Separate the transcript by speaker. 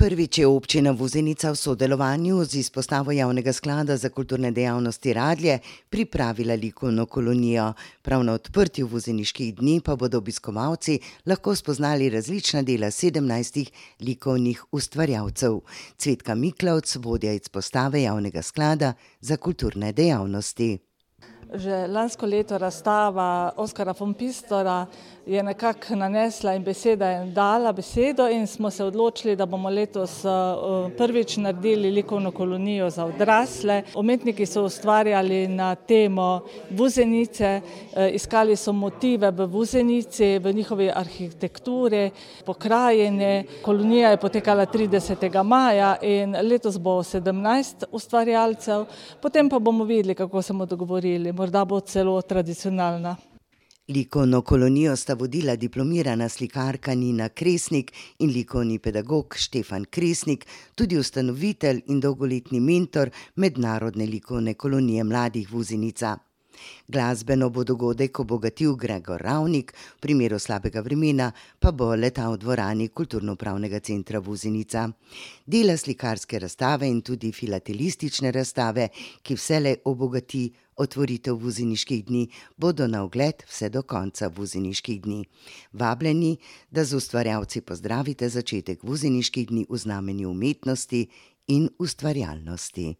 Speaker 1: Prvič je občina Vuzenica v sodelovanju z izpostavo Javnega sklada za kulturne dejavnosti Radlje pripravila likovno kolonijo. Prav na odprtju Vuzeniških dni pa bodo obiskovalci lahko spoznali različna dela 17 likovnih ustvarjalcev. Cvetka Miklavc, vodja izpostave Javnega sklada za kulturne dejavnosti.
Speaker 2: Že lansko leto razstava Oskarja von Pistora je nekako nanesla in beseda je dala besedo in smo se odločili, da bomo letos prvič naredili likovno kolonijo za odrasle. Umetniki so ustvarjali na temo Vuzenice, iskali so motive v Vuzenici, v njihovi arhitekturi, pokrajini. Kolonija je potekala 30. maja in letos bo 17 ustvarjalcev, potem pa bomo videli, kako se bomo dogovorili. Morda bo celo tradicionalna.
Speaker 1: Likovno kolonijo sta vodila diplomirana slikarka Nina Kresnik in likovni pedagog Štefan Kresnik, tudi ustanovitelj in dolgoletni mentor Mednarodne likovne kolonije mladih Vuzenica. Glasbeno bo dogodek obogatil Gregor Ravnik, v primeru slabega vremena pa bo letal v dvorani Kulturno-upravnega centra Vuzenica. Dela slikarske razstave in tudi filatelistične razstave, ki vselej obogati otvoritev Vuzeniških dni, bodo na ogled vse do konca Vuzeniških dni. Vabljeni, da z ustvarjalci pozdravite začetek Vuzeniških dni v znamenju umetnosti in ustvarjalnosti.